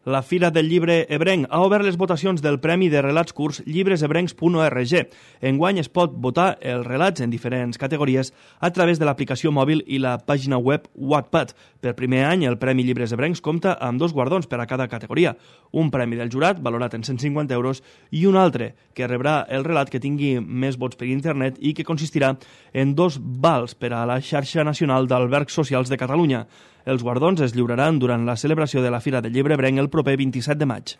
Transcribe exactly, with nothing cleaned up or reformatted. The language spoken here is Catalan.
La Fira del Llibre Ebrenc ha obert les votacions del Premi de Relats Curts llibres ebrencs punt org. Enguany es pot votar els relats en diferents categories a través de l'aplicació mòbil i la pàgina web Wattpad. Per primer any, el Premi Llibres Ebrencs compta amb dos guardons per a cada categoria. Un premi del jurat, valorat en cent cinquanta euros, i un altre, que rebrà el relat que tingui més vots per internet i que consistirà en dos vals per a la xarxa nacional d'albergs socials de Catalunya. Els guardons es lliuraran durant la celebració de la Fira del Llibre Ebrenc el proper vint-i-set de maig.